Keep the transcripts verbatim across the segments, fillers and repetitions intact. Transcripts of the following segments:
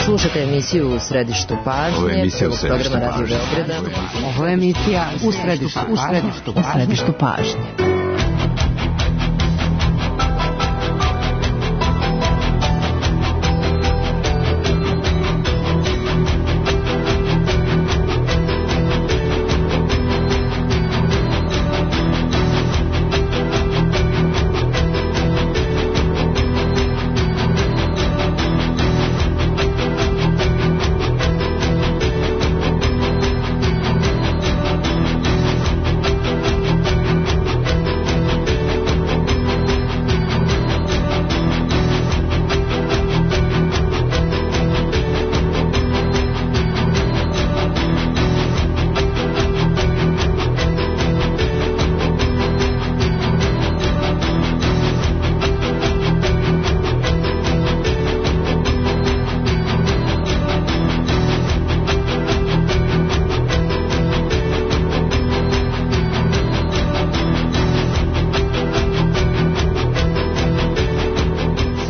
Slušate emisiju U središtu pažnje. Ovo je emisija U središtu programa Radio pažnje. Beograda. Ovo je emisija U središtu, u središtu, u središtu pažnje.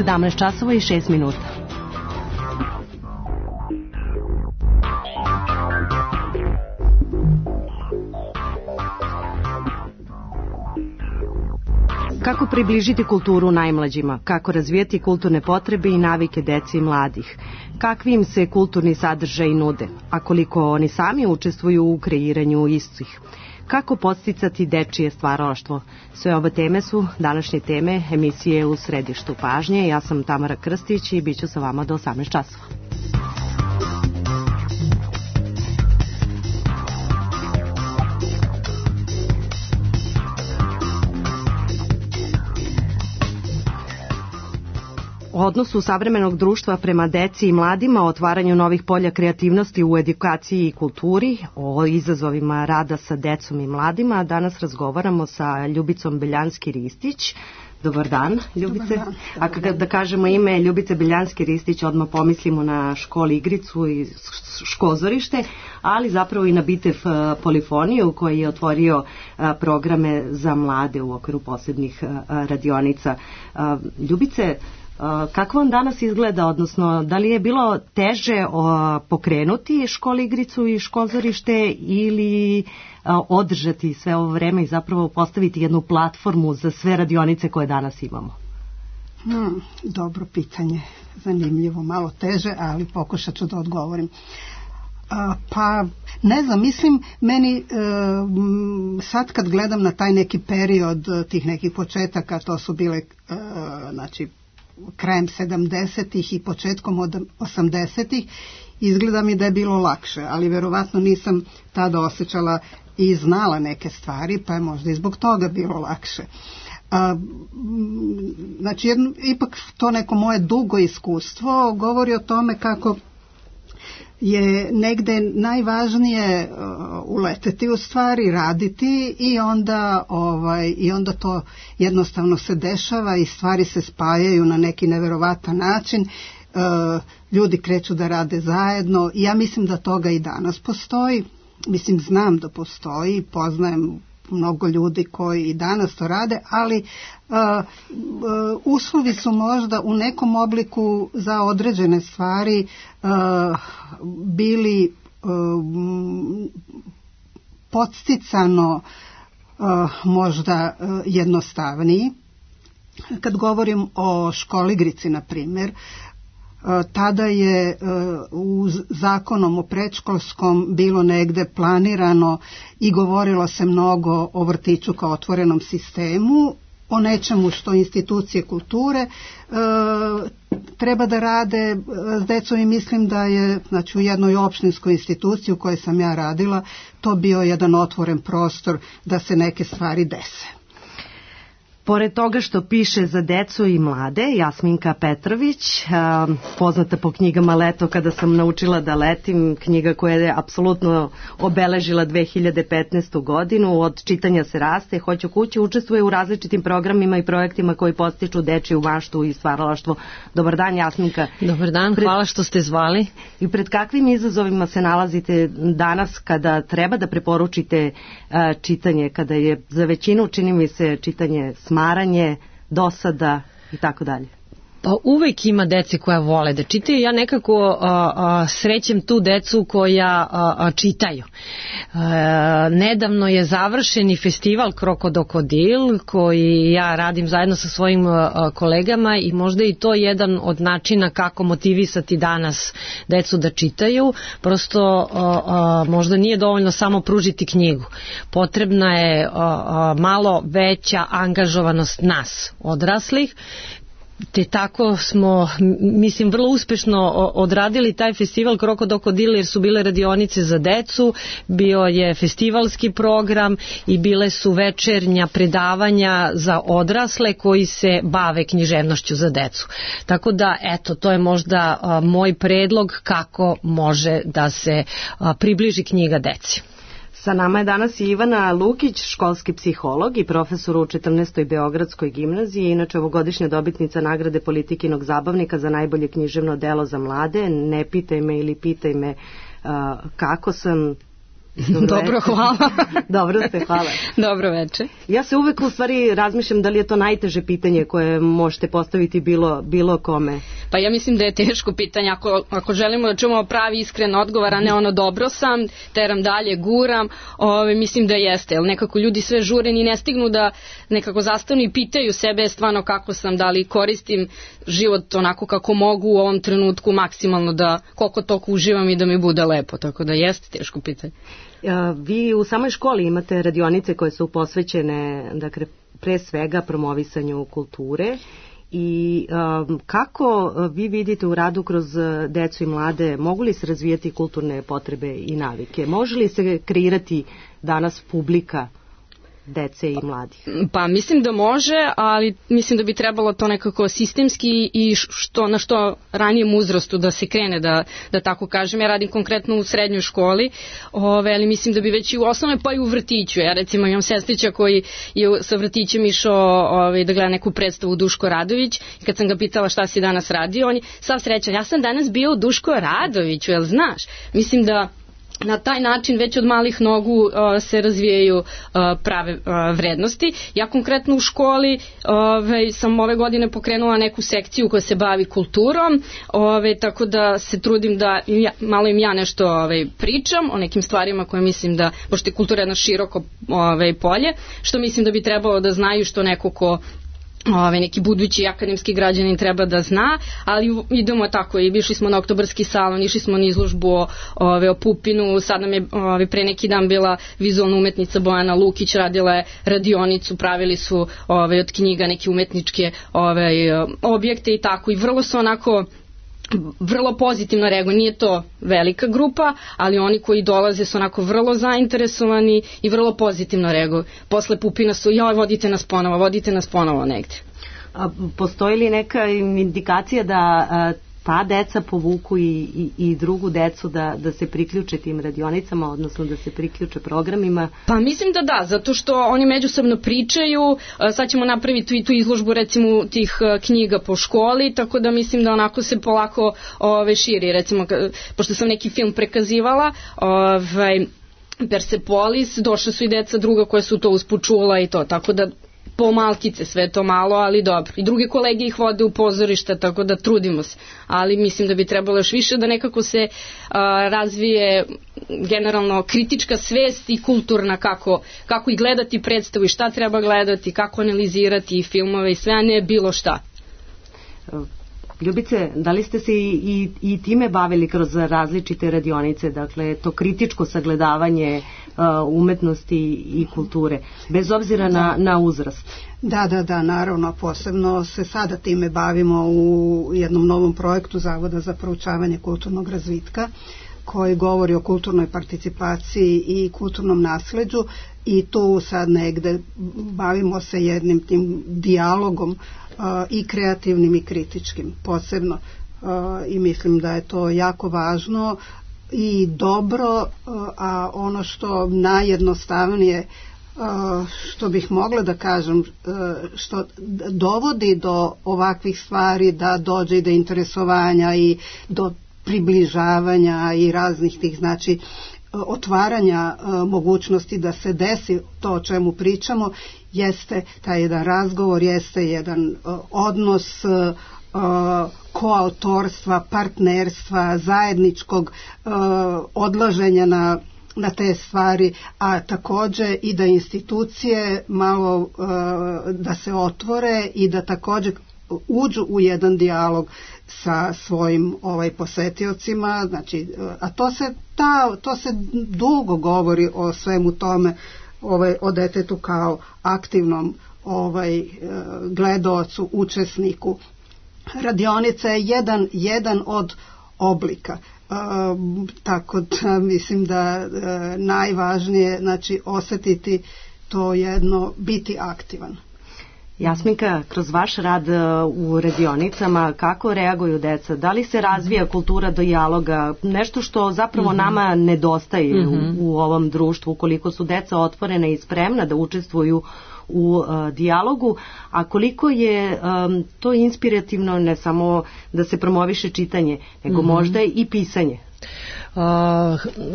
sedamnaest časova i šest minuta. Kako približiti kulturu najmlađima? Kako razvijati kulturne potrebe i navike dece i mladih? Kakvi im se kulturni sadržaji nude? A koliko oni sami učestvuju u kreiranju istih? Kako podsticati dečije stvaralaštvo? Sve ove teme su današnje teme emisije U središtu pažnje. Ja sam Tamara Krstić i bit ću sa vama do osamnaest časova. O odnosu savremenog društva prema deci i mladima, o otvaranju novih polja kreativnosti u edukaciji i kulturi, o izazovima rada sa decom i mladima. Danas razgovaramo sa Ljubicom Beljanski-Ristić. Dobar dan, Ljubice. Dobar dan. A kada da kažemo ime Ljubice Beljanski-Ristić, odmah pomislimo na školi igricu i škozorište, ali zapravo i na Bitev Polifoniju koji je otvorio programe za mlade u okviru posebnih radionica. Ljubice, kako vam danas izgleda, odnosno da li je bilo teže o, pokrenuti školu igricu i škozorište ili a, održati sve ovo vreme i zapravo postaviti jednu platformu za sve radionice koje danas imamo? Hmm, dobro pitanje, zanimljivo, malo teže, ali pokušat ću da odgovorim. A, pa ne znam, mislim meni e, sad kad gledam na taj neki period tih nekih početaka, to su bile e, znači krajem sedamdesetih i početkom od osamdesetih, izgleda mi da je bilo lakše, ali verovatno nisam tada osjećala i znala neke stvari, pa je možda i zbog toga bilo lakše. A, znači, jedno, ipak to neko moje dugo iskustvo govori o tome kako je negde najvažnije uh, uleteti u stvari, raditi i onda ovaj i onda to jednostavno se dešava i stvari se spajaju na neki neverovatan način. Uh, ljudi kreću da rade zajedno i ja mislim da toga i danas postoji. Mislim, znam da postoji, poznajem mnogo ljudi koji i danas to rade, ali uh, uh, uslovi su možda u nekom obliku za određene stvari uh, bili uh, podsticano uh, možda uh, jednostavniji. Kad govorim o školigrici, na primjer, tada je u zakonom o predškolskom bilo negde planirano i govorilo se mnogo o vrtiću kao otvorenom sistemu, o nečemu što institucije kulture e, treba da rade s decom i mislim da je, znači, u jednoj opštinskoj instituciji u kojoj sam ja radila, to bio jedan otvoren prostor da se neke stvari dese. Pored toga što piše za decu i mlade, Jasminka Petrović, poznata po knjigama Leto kada sam naučila da letim, knjiga koja je apsolutno obeležila dve hiljade petnaestu godinu, od čitanja se raste, hoću kući, učestvuje u različitim programima i projektima koji postiču dečiju maštu i stvaralaštvo. Dobar dan, Jasminka. Dobar dan, pred... hvala što ste zvali. I pred kakvim izazovima se nalazite danas kada treba da preporučite čitanje, kada je za većinu, čini mi se, čitanje smaranje, dosada i tako dalje? uvek ima dece koja vole da čitaju. Ja nekako a, a, srećem tu decu koja a, a, čitaju. A, nedavno je završeni festival Krokodil koji ja radim zajedno sa svojim a, kolegama i možda i to jedan od načina kako motivisati danas decu da čitaju. Prosto a, a, možda nije dovoljno samo pružiti knjigu. Potrebna je a, a, malo veća angažovanost nas, odraslih, te tako smo, mislim, vrlo uspešno odradili taj festival Krokodil jer su bile radionice za decu, bio je festivalski program i bile su večernja predavanja za odrasle koji se bave književnošću za decu. Tako da, eto, to je možda a, moj predlog kako može da se a, približi knjiga deci. Sa nama je danas i Ivana Lukić, školski psiholog i profesor u četrnaestoj Beogradskoj gimnaziji, inače ovogodišnja dobitnica nagrade Politikinog zabavnika za najbolje književno delo za mlade. Ne pitaj me ili pitaj me uh, kako sam... Dobro, Dobro hvala. Dobro ste, hvala. Dobro večer. Ja se uvek u stvari razmišljam da li je to najteže pitanje koje možete postaviti bilo, bilo kome. Pa ja mislim da je teško pitanje. Ako, ako želimo da čujemo pravi iskren odgovor, a ne ono dobro sam, teram dalje, guram, ove, mislim da jeste. Jer nekako ljudi sve žure i ne stignu da nekako zastanu i pitaju sebe stvarno kako sam, da li koristim život onako kako mogu u ovom trenutku maksimalno, da koliko toliko uživam i da mi bude lepo. Tako da jeste teško pitanje. Vi u samoj školi imate radionice koje su posvećene, dakle, pre svega promovisanju kulture i um, kako vi vidite u radu kroz decu i mlade, mogu li se razvijati kulturne potrebe i navike? Može li se kreirati danas publika dece i mladih? Pa mislim da može, ali mislim da bi trebalo to nekako sistemski i što, na što ranijem uzrastu da se krene, da, da tako kažem. Ja radim konkretno u srednjoj školi, ove, ali mislim da bi već i u osnovnoj pa i u vrtiću. Ja recimo imam sestrića koji je sa vrtićem išao ove, da gleda neku predstavu Duško Radović i kad sam ga pitala šta si danas radio, on je sav srećan, ja sam danas bio u Duško Radoviću, jel znaš? Mislim da na taj način već od malih nogu uh, se razvijaju uh, prave uh, vrednosti. Ja konkretno u školi ove, sam ove godine pokrenula neku sekciju koja se bavi kulturom, ove, tako da se trudim da ja, malo im ja nešto ove, pričam o nekim stvarima koje mislim da, pošto je kultura jedno široko ove, polje, što mislim da bi trebalo da znaju, što neko ko Ove, neki budući akademski građanin treba da zna, ali idemo tako i išli smo na Oktobarski salon, išli smo na izložbu o, ove, o Pupinu, sad nam je ove, pre neki dan bila vizualna umetnica Bojana Lukić, radila je radionicu, pravili su ove, od knjiga neke umetničke ove, objekte i tako, i vrlo su onako vrlo pozitivno reaguju. Nije to velika grupa, ali oni koji dolaze su onako vrlo zainteresovani i vrlo pozitivno reaguju. Posle Pupina su, joj, vodite nas ponovo, vodite nas ponovo negde. A postoji li neka indikacija da a, ta deca povuku i, i, i drugu decu da, da se priključe tim radionicama, odnosno da se priključe programima? Pa mislim da da, zato što oni međusobno pričaju, sad ćemo napraviti i tu izložbu recimo tih knjiga po školi, tako da mislim da onako se polako ove, širi, recimo, pošto sam neki film prekazivala, ovaj, Persepolis, došle su i deca druga koja su to usput čula i to, tako da po malkice sve to malo, ali dobro. I druge kolege ih vode u pozorišta, tako da trudimo se. Ali mislim da bi trebalo još više da nekako se a, razvije generalno kritička svest i kulturna, kako, kako i gledati predstavu i šta treba gledati, kako analizirati i filmove i sve, a ne bilo šta. Ljubice, da li ste se i, i, i time bavili kroz različite radionice, dakle to kritičko sagledavanje uh, umetnosti i kulture, bez obzira na, na uzrast? Da, da, da, naravno, posebno se sada time bavimo u jednom novom projektu Zavoda za proučavanje kulturnog razvitka, koji govori o kulturnoj participaciji i kulturnom nasleđu, i tu sad negde bavimo se jednim tim dijalogom uh, i kreativnim i kritičkim posebno, uh, i mislim da je to jako važno i dobro, uh, a ono što najjednostavnije uh, što bih mogla da kažem, uh, što dovodi do ovakvih stvari, da dođe i do interesovanja i do približavanja i raznih tih, znači otvaranja uh, mogućnosti da se desi to o čemu pričamo, jeste taj jedan razgovor, jeste jedan uh, odnos uh, koautorstva, partnerstva, zajedničkog odlaženja na na te stvari, a takođe i da institucije malo da se otvore i da takođe uđu u jedan dijalog sa svojim ovaj posetiocima, znači, a to se ta, to se dugo govori o svemu tome, ovaj, o detetu kao aktivnom ovaj gledaocu, učesniku. Radionica je jedan, jedan od oblika. Uh, tako da mislim da uh, najvažnije, znači, osetiti to jedno, biti aktivan. Jasminka, kroz vaš rad u radionicama, kako reaguju deca? Da li se razvija kultura dijaloga? Nešto što zapravo mm-hmm. nama nedostaje mm-hmm. u, u ovom društvu, ukoliko su deca otvorena i spremna da učestvuju u uh, dijalogu, a koliko je um, to inspirativno ne samo da se promoviše čitanje, nego mm-hmm. možda i pisanje. Uh,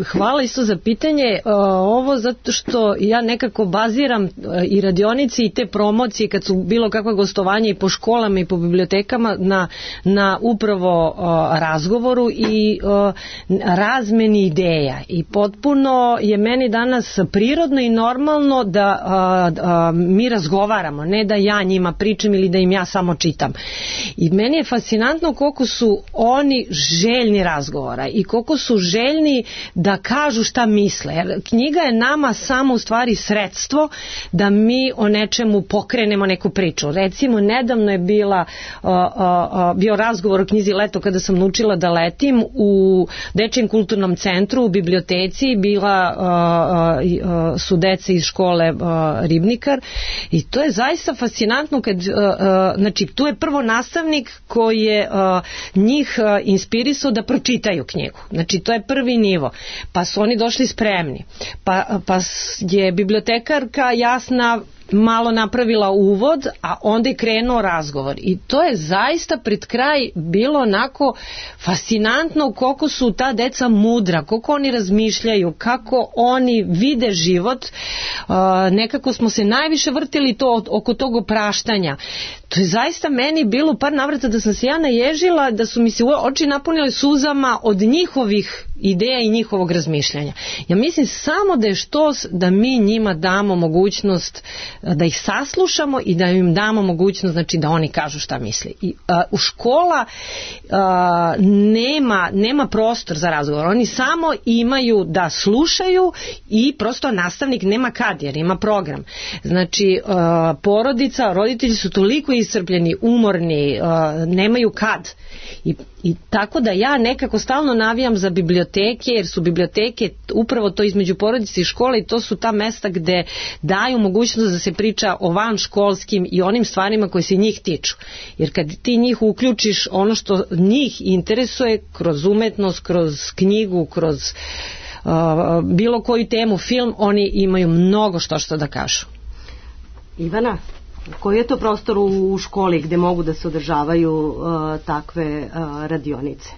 hvala isto za pitanje. Uh, ovo zato što ja nekako baziram uh, i radionici i te promocije kad su bilo kakva gostovanja i po školama i po bibliotekama na, na upravo uh, razgovoru i uh, razmeni ideja. I potpuno je meni danas prirodno i normalno da uh, uh, mi razgovaramo, ne da ja njima pričam ili da im ja samo čitam. I meni je fascinantno koliko su oni željni razgovora i koliko su željni da kažu šta misle. Jer knjiga je nama samo u stvari sredstvo da mi o nečemu pokrenemo neku priču. Recimo, nedavno je bila, uh, uh, bio razgovor o knjizi Leto kada sam naučila da letim u Dečijem kulturnom centru, u biblioteci, bila uh, uh, su dece iz škole uh, Ribnikar i to je zaista fascinantno kad, uh, uh, znači, tu je prvo nastavnik koji je uh, njih uh, inspirisao da pročitaju knjigu. Znači, to je prvi nivo. Pa su oni došli spremni. Pa, pa je bibliotekarka Jasna malo napravila uvod, a onda je krenuo razgovor. I to je zaista pred kraj bilo onako fascinantno koliko su ta deca mudra, koliko oni razmišljaju, kako oni vide život. Uh, nekako smo se najviše vrtili to oko tog opraštanja. To je zaista meni bilo par navrata da sam se ja naježila, da su mi se oči napunile suzama od njihovih ideja i njihovog razmišljanja. Ja mislim samo da je štos da mi njima damo mogućnost da ih saslušamo i da im damo mogućnost, znači, da oni kažu šta misli. I, uh, u škola uh, nema, nema prostor za razgovor. Oni samo imaju da slušaju i prosto nastavnik nema kad, jer ima program. Znači, uh, porodica, roditelji su toliko iscrpljeni, umorni, uh, nemaju kad. I, I tako da ja nekako stalno navijam za biblioteke, jer su biblioteke upravo to između porodice i škole i to su ta mesta gde daju mogućnost da se priča o vanškolskim i onim stvarima koje se njih tiču. Jer kad ti njih uključiš ono što njih interesuje kroz umetnost, kroz knjigu, kroz uh, bilo koju temu, film, oni imaju mnogo što što da kažu. Ivana, koji je to prostor u školi gde mogu da se održavaju uh, takve uh, radionice?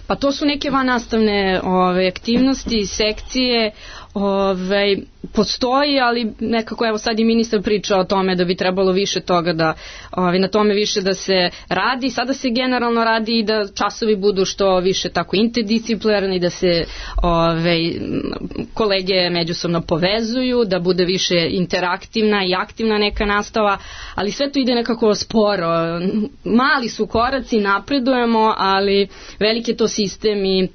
Pa to su neke vannastavne ove, aktivnosti, sekcije, ove, postoji, ali nekako evo sad i ministar priča o tome da bi trebalo više toga da, ove, na tome više da se radi. Sada se generalno radi i da časovi budu što više tako interdisciplinarni, da se ove, kolege međusobno povezuju, da bude više interaktivna i aktivna neka nastava, ali sve to ide nekako sporo. Mali su koraci, napredujemo, ali veliki je to sistem i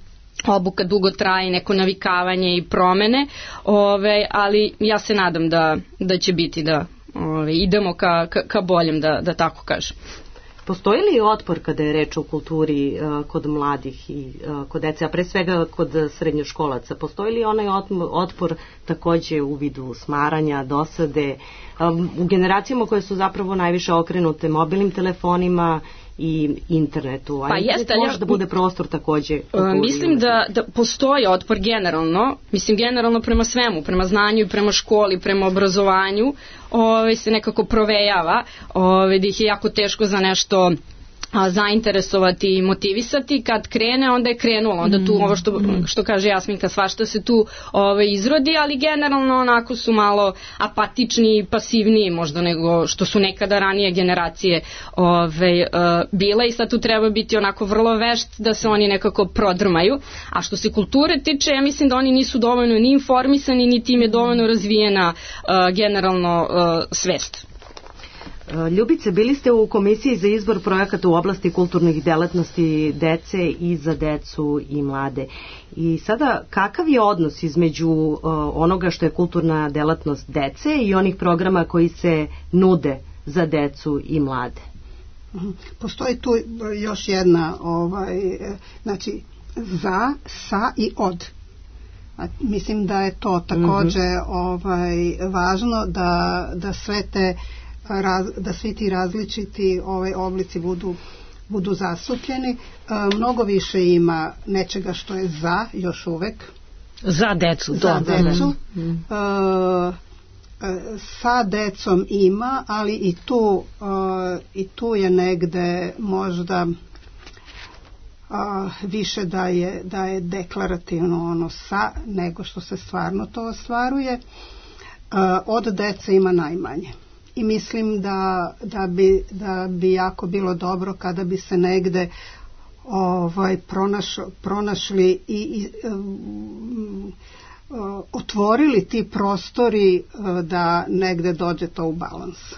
obuka dugo traje, neko navikavanje i promene, ove, ali ja se nadam da, da će biti da ove, idemo ka, ka, ka boljem, da, da tako kažem. Postoji li otpor kada je reč o kulturi uh, kod mladih i uh, kod dece, a pre svega kod srednjoškolaca? Postoji li onaj otpor takođe u vidu smaranja, dosade, um, u generacijama koje su zapravo najviše okrenute mobilnim telefonima i internetu, a pa internet jeste, može ja, da bude prostor takođe. Mislim da, da postoji otpor generalno, mislim generalno prema svemu, prema znanju i prema školi, prema obrazovanju, ove, se nekako provejava, ove, da ih je jako teško za nešto a, zainteresovati i motivisati. Kad krene, onda je krenulo. Onda tu, ovo što, što kaže Jasminka, svašta se tu ove, izrodi, ali generalno onako su malo apatični i pasivniji možda nego što su nekada ranije generacije ove, bile i sad tu treba biti onako vrlo vešt da se oni nekako prodrmaju. A što se kulture tiče, ja mislim da oni nisu dovoljno ni informisani, niti im je dovoljno razvijena uh, generalno uh, svest. Ljubice, bili ste u komisiji za izbor projekata u oblasti kulturnih delatnosti dece i za decu i mlade. I sada, kakav je odnos između uh, onoga što je kulturna delatnost dece i onih programa koji se nude za decu i mlade? Postoji tu još jedna, ovaj, znači, za, sa i od. A mislim da je to takođe ovaj, važno da, da sve te raz, da svi ti različiti ovaj, oblici budu, budu zastupljeni. E, mnogo više ima nečega što je za još uvek. Za decu. Za do, decu. Da, da. E, sa decom ima, ali i tu, e, i tu je negde možda a, više da je, da je deklarativno ono sa nego što se stvarno to ostvaruje. A, od dece ima najmanje. I mislim da, da, bi, da bi jako bilo dobro kada bi se negde ovaj, pronaš, pronašli i, i um, otvorili ti prostori da negde dođe to u balans.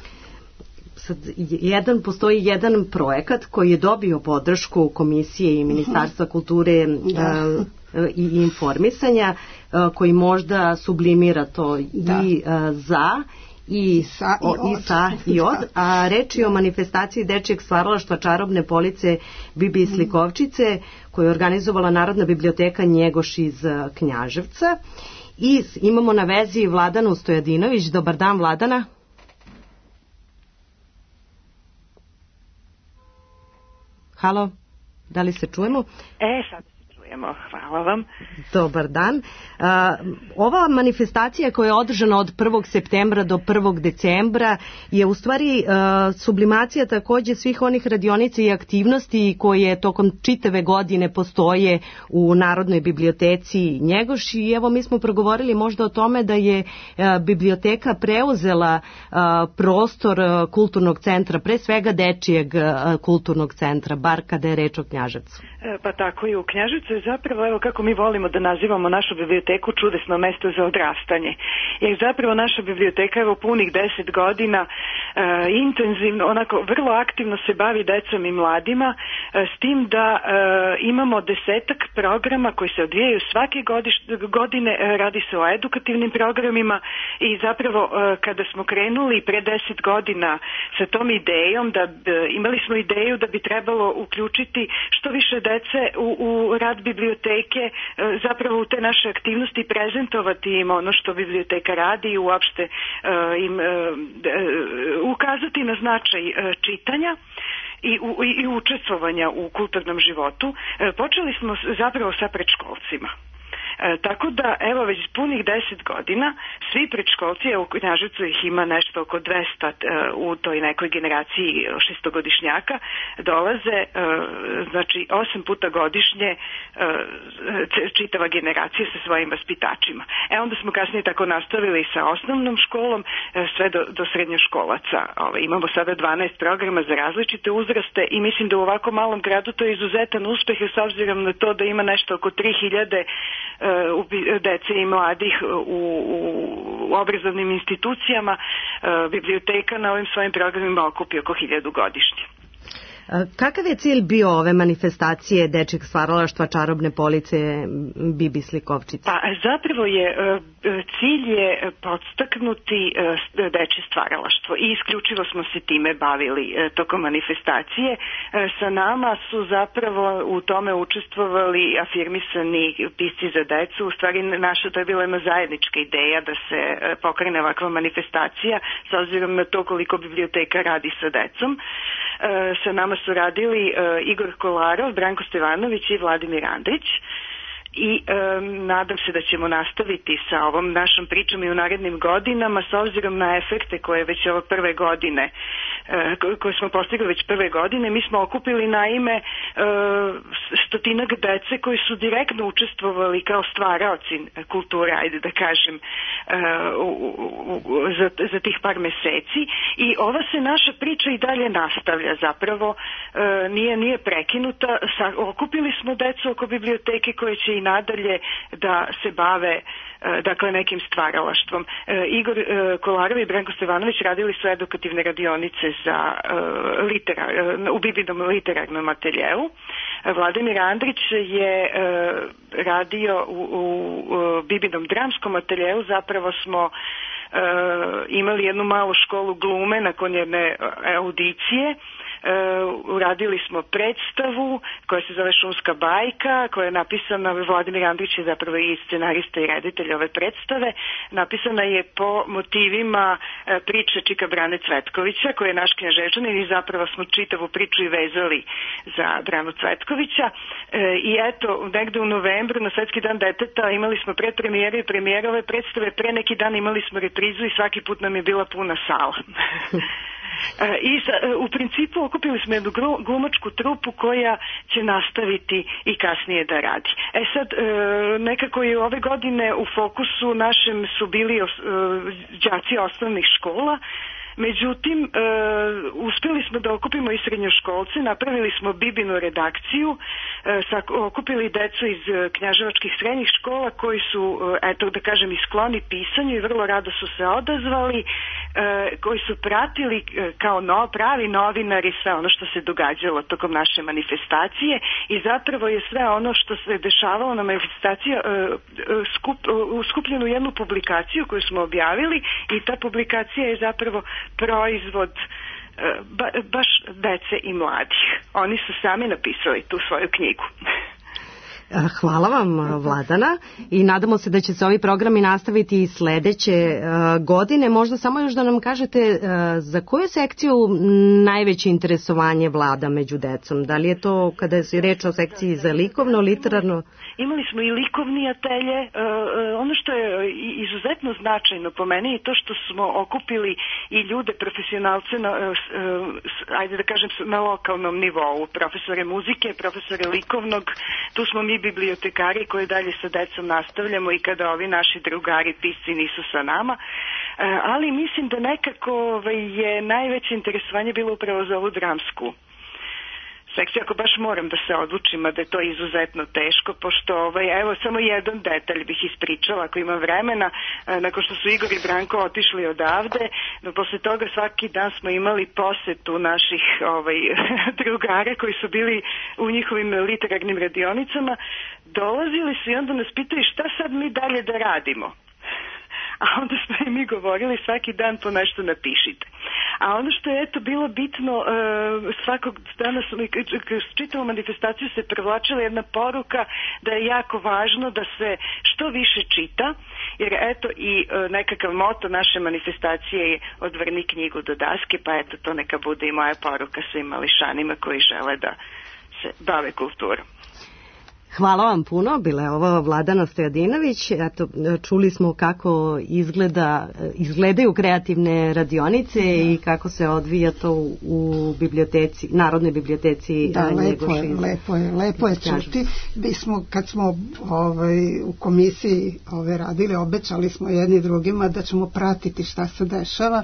Sad, jedan, postoji jedan projekat koji je dobio podršku Komisije i Ministarstva kulture da. uh, i informisanja uh, koji možda sublimira to da. i uh, za i sa i, o, i sa i od, a reč je o manifestaciji dečijeg stvaralaštva Čarobne police Bibi Slikovčice koju je organizovala Narodna biblioteka Njegoš iz Knjaževca i imamo na vezi Vladanu Stojadinović. Dobar dan, Vladana. Halo, da li se čujemo? E, sad se čujemo, hvala vam. Dobar dan. Uh, ova manifestacija koja je održana od prvog septembra do prvog decembra je u stvari uh, sublimacija takođe svih onih radionica i aktivnosti koje tokom čitave godine postoje u Narodnoj biblioteci Njegoš i evo mi smo progovorili možda o tome da je uh, biblioteka preuzela uh, prostor uh, kulturnog centra, pre svega dečijeg uh, kulturnog centra, bar kada je reč o Knjaževcu. E, pa tako i u Knjaževcu je zapravo, evo kako mi volimo da nazivamo našu biblioteku čudesno mesto za odrastanje. Jer zapravo naša biblioteka evo punih deset godina e, intenzivno, onako vrlo aktivno se bavi decom i mladima, e, s tim da e, imamo desetak programa koji se odvijaju svake godiš, godine, e, radi se o edukativnim programima i zapravo e, kada smo krenuli pre deset godina sa tom idejom, da e, imali smo ideju da bi trebalo uključiti što više dece u, u rad biblioteke, e, zapravo u te naše aktivnosti prezentovati im ono što biblioteka radi i uopšte uh, im uh, ukazati na značaj uh, čitanja i, u, i učestvovanja u kulturnom životu. Uh, počeli smo zapravo sa predškolcima. E, tako da, evo, već punih deset godina, svi predškolci, u Knjaževcu ih ima nešto oko dvesta e, u toj nekoj generaciji šestogodišnjaka, dolaze, e, znači, osam puta godišnje e, čitava generacija sa svojim vaspitačima. E, onda smo kasnije tako nastavili sa osnovnom školom, e, sve do, do srednjoškolaca. Ove, imamo sada dvanaest programa za različite uzraste i mislim da u ovako malom gradu to je izuzetan uspeh, s obzirom na to da ima nešto oko tri hiljade dece i mladih u, u obrazovnim institucijama. Biblioteka na ovim svojim programima okupi oko hiljadu godišnje. Kakav je cilj bio ove manifestacije dečjeg stvaralaštva Čarobne police Bibi Slikovčice? Pa zapravo je cilj je podstaknuti dečje stvaralaštvo i isključivo smo se time bavili tokom manifestacije. Sa nama su zapravo u tome učestvovali afirmisani pisci za decu. U stvari naša to je bila jedna zajednička ideja da se pokrene ovakva manifestacija s obzirom na to koliko biblioteka radi sa decom. Sa nama su radili uh, Igor Kolarov, Branko Stevanović i Vladimir Andrić i e, nadam se da ćemo nastaviti sa ovom našom pričom i u narednim godinama s obzirom na efekte koje već ove prve godine e, koje smo postigli već prve godine. Mi smo okupili naime e, stotinak dece koji su direktno učestvovali kao stvaraoci kulture, ajde da kažem, e, u, u, za, za tih par meseci i ova se naša priča i dalje nastavlja zapravo, e, nije, nije prekinuta. Sa, okupili smo decu oko biblioteke koje će i nadalje da se bave dakle nekim stvaralaštvom. E, Igor e, Kolarov i Branko Stevanović radili su edukativne radionice za e, litera, e, u Bibinom literarnom ateljeu. Vladimir Andrić je e, radio u, u, u Bibinom dramskom ateljeu. Zapravo smo e, imali jednu malu školu glume nakon jedne audicije. Uh, uradili smo predstavu koja se zove Šumska bajka, koja je napisana, Vladimir Andrić je zapravo i scenarista i reditelj ove predstave, napisana je po motivima uh, priče Čika Brane Cvetkovića, koji je naš Knjaževčanin i zapravo smo čitavu priču i vezali za Branu Cvetkovića. Uh, I eto, negde u novembru na Svetski dan deteta imali smo predpremijere i premijere ove predstave, pre neki dan imali smo reprizu i svaki put nam je bila puna sala. I u principu okupili smo jednu glumačku trupu koja će nastaviti i kasnije da radi. E sad, nekako je ove godine u fokusu našem su bili đaci osnovnih škola. Međutim, e, uspjeli smo da okupimo i srednjoškolce, napravili smo Bibinu redakciju, e, sa, okupili decu iz knjaževačkih srednjih škola koji su, eto da kažem, i skloni pisanju i vrlo rado su se odazvali, e, koji su pratili e, kao no, pravi novinari sve ono što se događalo tokom naše manifestacije i zapravo je sve ono što se dešavalo na manifestaciji e, skup, uskupljeno u jednu publikaciju koju smo objavili i ta publikacija je zapravo proizvod ba, baš dece i mladih. Oni su sami napisali tu svoju knjigu. Hvala vam, Vladana, i nadamo se da će se ovi programi nastaviti i sledeće uh, godine. Možda samo još da nam kažete uh, za koju sekciju najveće interesovanje vlada među decom? Da li je to kada je reč o sekciji za likovno, literarno? Imali smo i likovni atelje. Uh, ono što je izuzetno značajno po meni je to što smo okupili i ljude, profesionalce na, uh, ajde da kažem, na lokalnom nivou. Profesore muzike, profesore likovnog, tu smo mi bibliotekari koji dalje sa decom nastavljamo i kada ovi naši drugari pisci nisu sa nama, ali mislim da nekako je najveće interesovanje bilo upravo za ovu dramsku sekciju, ako baš moram da se odlučim, a da je to izuzetno teško, pošto ovaj, evo samo jedan detalj bih ispričala ako ima vremena. Nakon što su Igor i Branko otišli odavde, no posle toga svaki dan smo imali posetu naših ovaj, drugara koji su bili u njihovim literarnim radionicama, dolazili su i onda nas pitali šta sad mi dalje da radimo. A onda smo i mi govorili svaki dan po nešto napišite. A ono što je eto bilo bitno, uh, svakog dana kroz čitavu manifestaciju se prevlačila jedna poruka da je jako važno da se što više čita, jer eto i uh, nekakav moto naše manifestacije je odvrni knjigu do daske, pa eto to neka bude i moja poruka svim mališanima koji žele da se bave kulturom. Hvala vam puno, bila je ovo Vladana Stojadinović. Eto, čuli smo kako izgleda, izgledaju kreativne radionice da. I kako se odvija to u biblioteci, Narodnoj biblioteci. Da, lepo je, lepo je, lepo je čuti. Mi smo, kad smo ovaj, u komisiji ove radili, obećali smo jedni drugima da ćemo pratiti šta se dešava.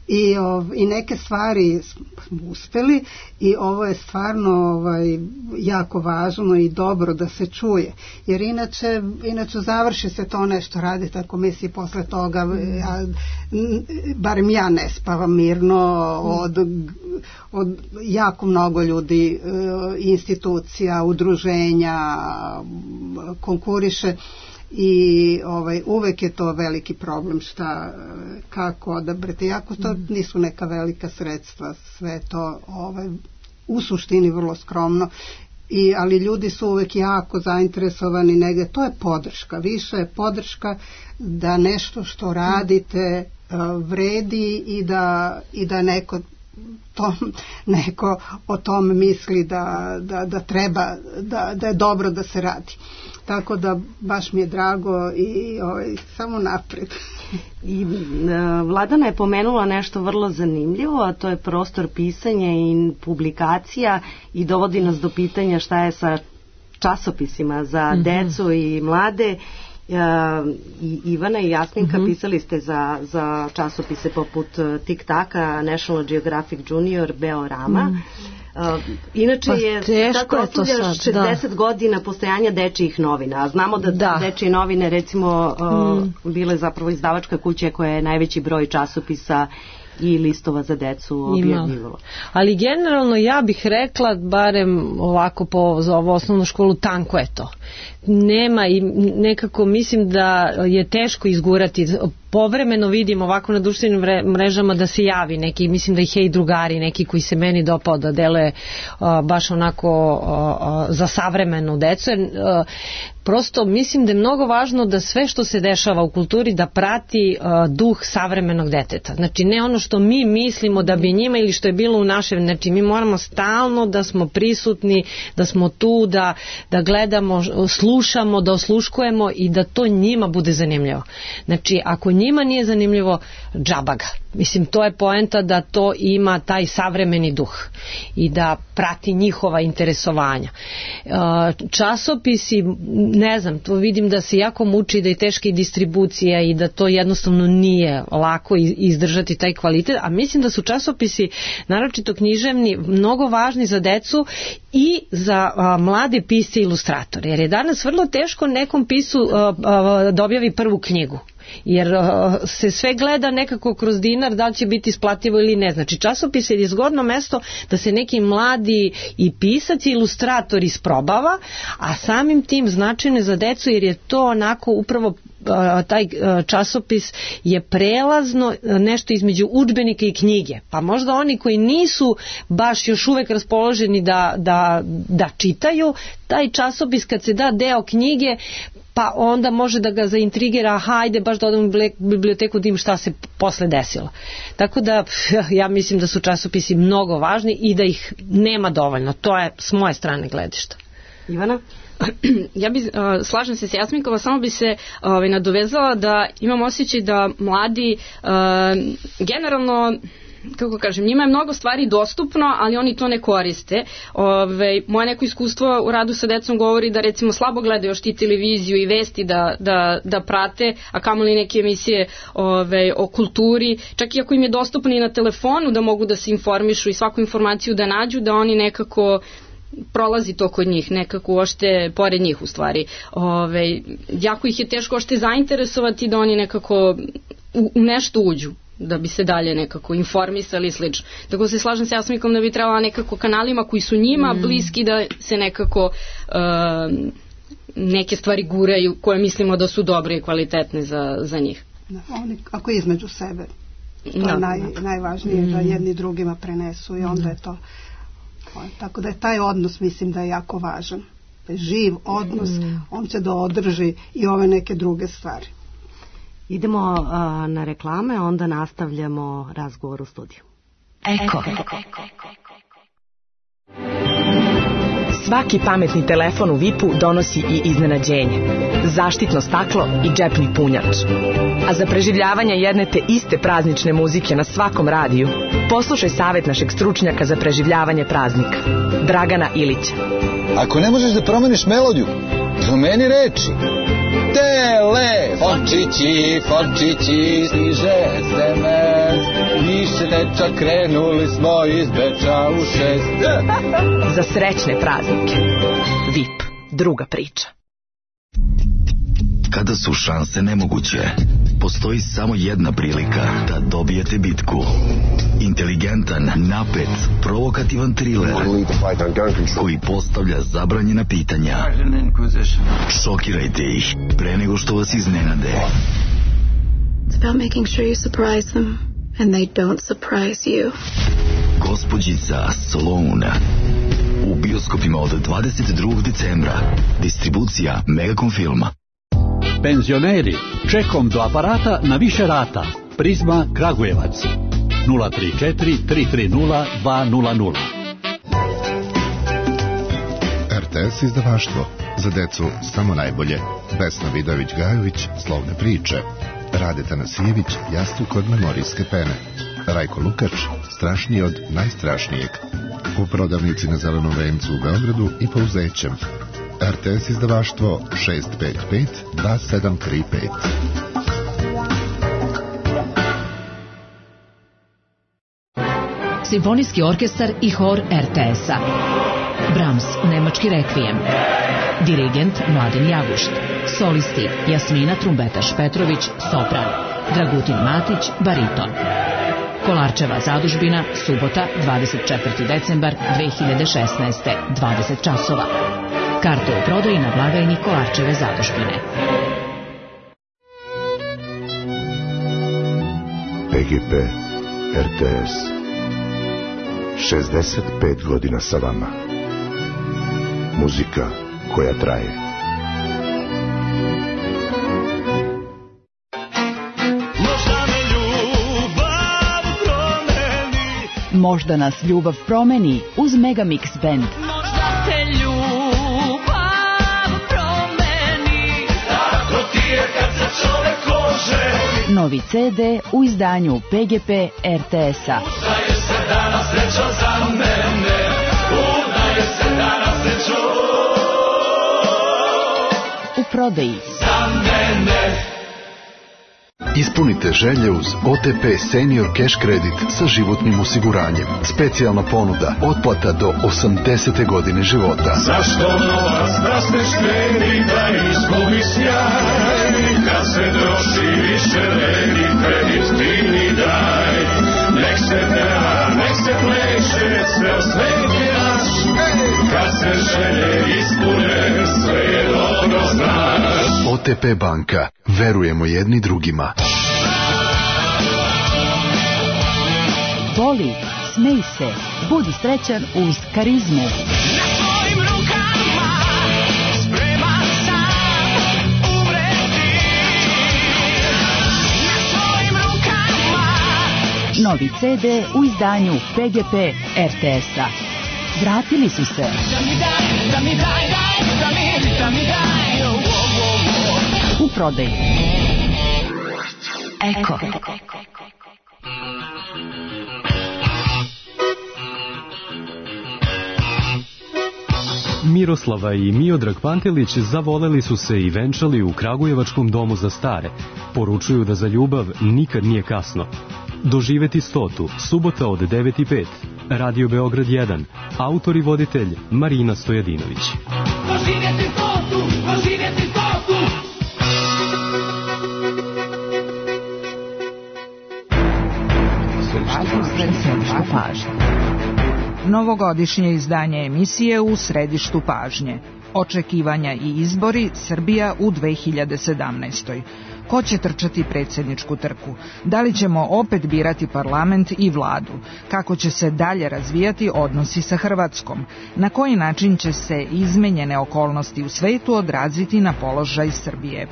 I, ov, i neke stvari smo uspeli i ovo je stvarno ovaj, jako važno i dobro da se čuje, jer inače, inače završi se to nešto, radite ako misli posle toga, ja, barem ja ne spavam mirno od, od jako mnogo ljudi, institucija, udruženja konkuriše. I ovaj, uvek je to veliki problem šta, kako odabrati, jako to nisu neka velika sredstva, sve to ovaj, u suštini vrlo skromno, I, ali ljudi su uvek jako zainteresovani negde, to je podrška, više je podrška da nešto što radite uh, vredi i da, i da neko to, neko o tom misli da, da, da treba, da, da je dobro da se radi. tako da baš mi je drago i ovaj, samo napred. I Vladana je pomenula nešto vrlo zanimljivo, a to je prostor pisanja i publikacija i dovodi nas do pitanja šta je sa časopisima za mm-hmm. decu i mlade. I Ivana i Jasminka mm-hmm. pisali ste za, za časopise poput Tik Taka, National Geographic Junior, Beorama. Mm. Uh, inače pa je tako proslavlja šezdeset da. godina postojanja dečijih novina, a znamo da, da. dečije novine recimo uh, mm. bile zapravo izdavačka kuća koja je najveći broj časopisa i listova za decu objavljivalo. Ali generalno ja bih rekla, barem ovako po, za ovu osnovnu školu, tanko je to. Nema i nekako mislim da je teško izgurati. Povremeno vidim ovako na društvenim mrežama da se javi neki, mislim da ih je i drugari neki koji se meni dopao da dele uh, baš onako uh, za savremenu decu. Jer, uh, prosto mislim da je mnogo važno da sve što se dešava u kulturi da prati uh, duh savremenog deteta. Znači ne ono što mi mislimo da bi njima ili što je bilo u našem, znači mi moramo stalno da smo prisutni, da smo tu, da, da gledamo, slušamo, da osluškujemo i da to njima bude zanimljivo. Znači ako njima nije zanimljivo, džaba ga. Mislim, to je poenta da to ima taj savremeni duh i da prati njihova interesovanja. Časopisi, ne znam, to vidim da se jako muči, da je teška i distribucija i da to jednostavno nije lako izdržati taj kvalitet, a mislim da su časopisi, naročito književni, mnogo važni za decu i za a, mlade pisce i ilustratore, jer je danas vrlo teško nekom pisu a, a, da objavi prvu knjigu. Jer uh, se sve gleda nekako kroz dinar da li će biti isplativo ili ne. Znači časopis je zgodno mesto da se neki mladi i pisac i ilustrator isprobava, a samim tim značajno za decu jer je to onako upravo taj časopis je prelazno nešto između udžbenika i knjige. Pa možda oni koji nisu baš još uvek raspoloženi da, da, da čitaju, taj časopis kad se da deo knjige, pa onda može da ga zaintrigira, hajde baš da odem u biblioteku da im šta se posle desilo. Tako da ja mislim da su časopisi mnogo važni i da ih nema dovoljno. To je s moje strane gledišta. Ivana? Ja bi, uh, slažem se s Jasminkova, samo bi se uh, nadovezala da imam osjećaj da mladi uh, generalno, kako kažem, njima je mnogo stvari dostupno, ali oni to ne koriste. Ove, moje neko iskustvo u radu sa decom govori da recimo slabo gledaju još ti televiziju i vesti da, da, da prate, a kamoli neke emisije ove, o kulturi, čak i ako im je dostupno i na telefonu da mogu da se informišu i svaku informaciju da nađu, da oni nekako prolazi to kod njih, nekako ošte pored njih u stvari. Ove, jako ih je teško ošte zainteresovati da oni nekako u, u nešto uđu, da bi se dalje nekako informisali i slično. Tako se slažem sa Jasminkom da bi trebala nekako kanalima koji su njima mm. bliski da se nekako uh, neke stvari guraju koje mislimo da su dobre i kvalitetne za, za njih. Da, oni ako između sebe. To da, je naj, da. najvažnije mm. da jedni drugima prenesu i onda mm. je to. Tako da je taj odnos mislim da je jako važan. Živ odnos, mm. on će da održi i ove neke druge stvari. Idemo a, na reklame, onda nastavljamo razgovor u studiju. Eko. Svaki pametni telefon u vipu donosi i iznenađenje. Zaštitno staklo i džepni punjač. A za preživljavanje jedne te iste praznične muzike na svakom radiju, poslušaj savjet našeg stručnjaka za preživljavanje praznika, Dragana Ilića. Ako ne možeš da promeniš melodiju, promeni reči. Telefončići, fončići, stiže es em es, više deča krenuli smo iz Beča u šest. Za srećne praznike. V I P, druga priča. Kada su šanse nemoguće, postoji samo jedna prilika da dobijete bitku. Inteligentan, napet, provokativan thriller koji postavlja zabranjena pitanja. Šokirajte ih pre nego što vas iznenade. It's about making sure you surprise them and they don't surprise you. Gospođica Sloane. U bioskopima od dvadeset drugog decembra. Distribucija Megacom Filma. Penzioneri, čekom do aparata na više rata. Prizma Kragujevac. nula tri četiri tri tri nula dva nula nula. R T S izdavaštvo. Za decu samo najbolje. Vesna Vidović-Gajović, Slovne priče. Rade Tanasijević, Jastuk od memorijske pene. Rajko Lukač, Strašniji od najstrašnijeg. U prodavnici na Zelenom vencu u Beogradu i Pouzećem. R T S izdavaštvo šest pet pet dva sedam tri pet. Simfonijski orkestar i hor R T S-a. Brahms, Nemački rekvijem. Dirigent Mladen Jagušt. Solisti Jasmina Trumbetaš-Petrović, sopran. Dragutin Matić, bariton. Kolarčeva zadužbina, subota, dvadeset četvrti decembar dve hiljade šesnaeste, dvadeset časova. Karte u prodaji na blagajni Kolarčeve zadužbine. P G P R T S. šezdeset pet godina sa vama. Muzika koja traje. Možda nas ljubav promeni uz Megamix Band. Možda te ljubav promeni, tako ti je kad se čovek oženi. Novi C D u izdanju P G P R T S-a. Udaje se danas srećo za mene, udaje se danas srećo u prodaji. Za mene. Ispunite želje uz O T P Senior Cash Credit sa životnim osiguranjem. Specijalna ponuda, otplata do osamdesete godine života. Zašto novac da se štedi, da izgubi sjaj, kad se troši više vredi, kredit ti mi daj. Nek se peva, nek se pleše, ceo svet je naš, kad se želje ispune, sve je dobro znaš. O T P banka, verujemo jedni drugima. Voli, smej se, budi srećan uz karizmu. Na tvojim rukama spreman sam umreti. Na tvojim rukama. Novi C D u izdanju P G P R T S-a. Vratili su se. Da mi daj, da mi daj, daj, da mi, da mi daj. Oh, oh, oh. U prodaji. Eko. Miroslava i Miodrag Pantelić zavoleli su se i venčali u Kragujevačkom domu za stare. Poručuju da za ljubav nikad nije kasno. Doživeti stotu, subota od devet i pet. Radio Beograd jedan. Autor i voditelj Marina Stojadinović. Doživjeti stotu, doživjeti stotu. Središtu pažnje. Novogodišnje izdanje emisije u središtu pažnje. Očekivanja i izbori Srbija u dve hiljade sedamnaestoj. Ko će trčati predsjedničku trku? Da li ćemo opet birati parlament i vladu? Kako će se dalje razvijati odnosi sa Hrvatskom? Na koji način će se izmenjene okolnosti u svetu odraziti na položaj Srbije?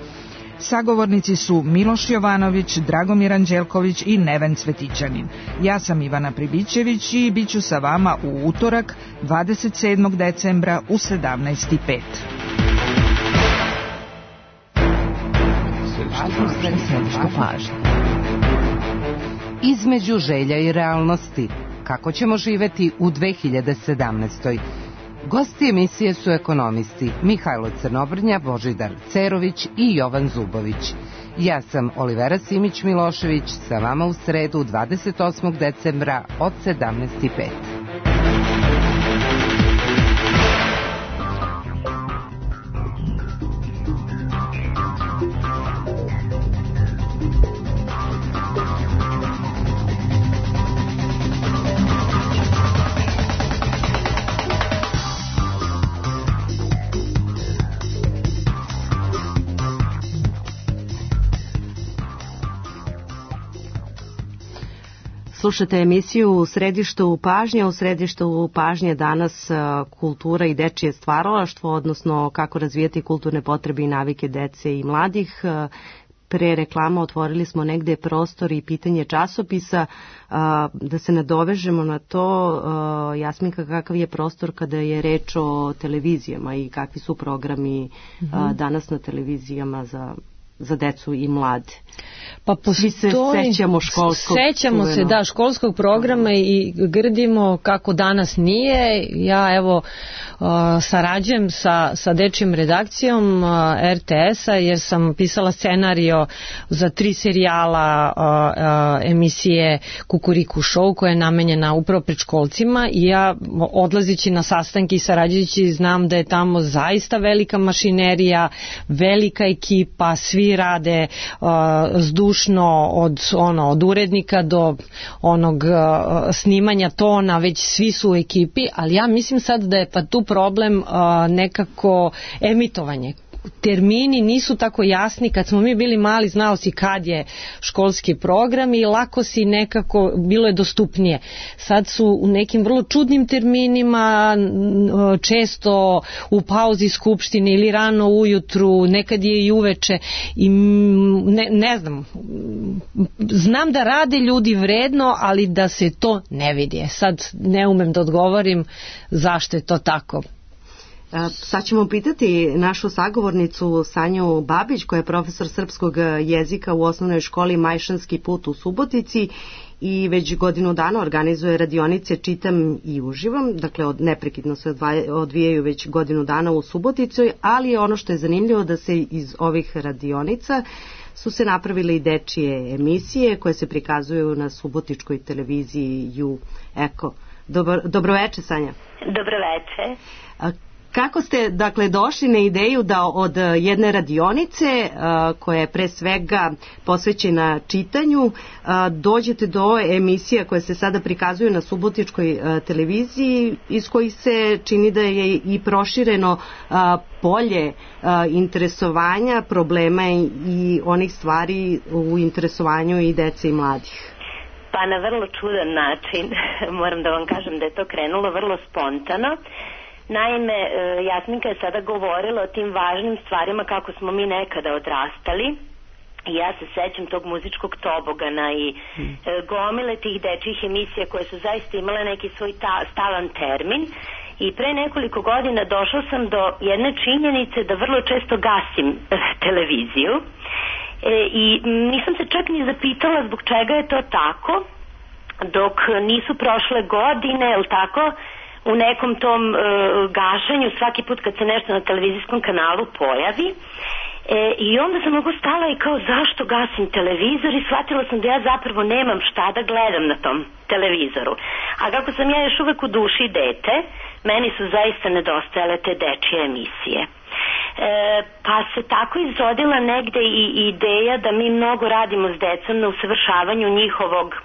Sagovornici su Miloš Jovanović, Dragomir Anđelković i Neven Cvetićanin. Ja sam Ivana Pribićević i bit ću sa vama u utorak dvadeset sedmog decembra u sedamnaest i pet. Između želja i realnosti. Kako ćemo živeti u dve hiljade sedamnaestoj. Gosti emisije su ekonomisti Mihajlo Crnobrnja, Božidar Cerović i Jovan Zubović. Ja sam Olivera Simić-Milošević, sa vama u sredu dvadeset osmog decembra od sedamnaest i pet. Slušate emisiju u središtu pažnje. U središtu pažnje danas kultura i dečije stvaralaštvo, odnosno kako razvijati kulturne potrebe i navike dece i mladih. pre reklama otvorili smo negde prostor i pitanje časopisa, da se nadovežemo na to. Jasminka, kakav je prostor kada je reč o televizijama i kakvi su programi mm-hmm. danas na televizijama za za decu i mlade? Pa postoji, svi se sećamo školskog sećamo se da školskog programa i grdimo kako danas nije. Ja evo uh, sarađujem sa, sa dečjim redakcijom uh, er te es-a jer sam pisala scenario za tri serijala uh, uh, emisije Kukuriku show koja je namenjena upravo predškolcima i ja odlazići na sastanke i sarađujući znam da je tamo zaista velika mašinerija, velika ekipa, svi rade uh, zdušno od ono od urednika do onog uh, snimanja tona, već svi su u ekipi, ali ja mislim sad da je pa tu problem uh, nekako emitovanje. Termini nisu tako jasni. Kad smo mi bili mali, znao si kad je školski program i lako si nekako, bilo je dostupnije. Sad su u nekim vrlo čudnim terminima, često u pauzi skupštine ili rano ujutru, nekad je i uveče i ne, ne znam, znam da rade ljudi vredno, ali da se to ne vidi. Sad ne umem da odgovorim zašto je to tako. Sad ćemo pitati našu sagovornicu Sanju Babić, koja je profesor srpskog jezika u osnovnoj školi Majšanski put u Subotici i već godinu dana organizuje radionice Čitam i uživam, dakle od, neprekidno se odvijaju već godinu dana u Subotici, ali ono što je zanimljivo da se iz ovih radionica su se napravile i dečije emisije koje se prikazuju na subotičkoj televiziji Ju Eko. Dobro, dobroveče, Sanja. Dobroveče. Kako ste, dakle, došli na ideju da od jedne radionice, koja je pre svega posvećena čitanju, dođete do emisija koje se sada prikazuju na subotičkoj televiziji, iz kojih se čini da je i prošireno polje interesovanja, problema i onih stvari u interesovanju i dece i mladih? Pa na vrlo čudan način. Moram da vam kažem da je to krenulo vrlo spontano. Naime, Jasminka je sada govorila o tim važnim stvarima kako smo mi nekada odrastali i ja se sećam tog muzičkog tobogana i hmm. gomile tih dečjih emisija koje su zaista imale neki svoj ta, stalan termin i pre nekoliko godina došla sam do jedne činjenice da vrlo često gasim televiziju e, i nisam se čak ni zapitala zbog čega je to tako dok nisu prošle godine, je li tako, u nekom tom e, gašenju svaki put kad se nešto na televizijskom kanalu pojavi e, i onda sam mogu stala i kao zašto gasim televizor i shvatila sam da ja zapravo nemam šta da gledam na tom televizoru. A kako sam ja još uvek u duši dete, meni su zaista nedostajale te dečije emisije. E, pa se tako izrodila negde i ideja da mi mnogo radimo s decom na usavršavanju njihovog